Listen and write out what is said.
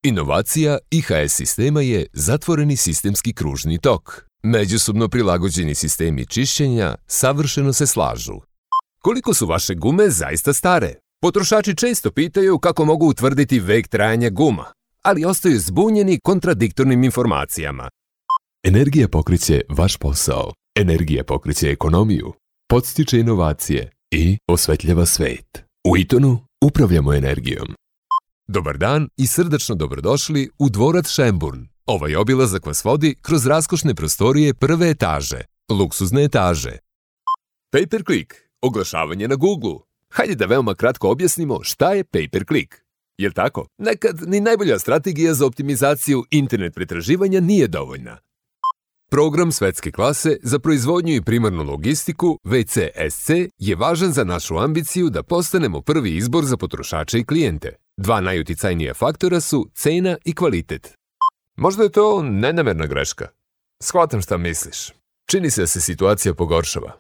Inovacija IHS sistema je zatvoreni sistemski kružni tok. Međusobno prilagođeni sistemi čišćenja savršeno se slažu. Koliko su vaše gume zaista stare? Potrošači često pitaju kako mogu utvrditi vek trajanja guma, ali ostaju zbunjeni kontradiktornim informacijama. Energija pokreće vaš posao. Energija pokreće ekonomiju, podstiče inovacije i osvetljava svet. U Eatonu upravljamo energijom. Dobar dan i srdačno dobrodošli u dvorac Schönbrunn. Ovaj obilazak vas vodi kroz raskošne prostorije prve etaže, luksuzne etaže. Pay-per-click, oglašavanje na Google. Hajde da veoma kratko objasnimo šta je pay-per-click. Jel tako? Nekad ni najbolja strategija za optimizaciju internet pretraživanja nije dovoljna. Program svetske klase za proizvodnju i primarnu logistiku, VCSC, je važan za našu ambiciju da postanemo prvi izbor za potrošače i klijente. Dva najuticajnija faktora su cena i kvalitet. Možda je to nenamerna greška. Shvatam šta misliš. Čini se da se situacija pogoršava.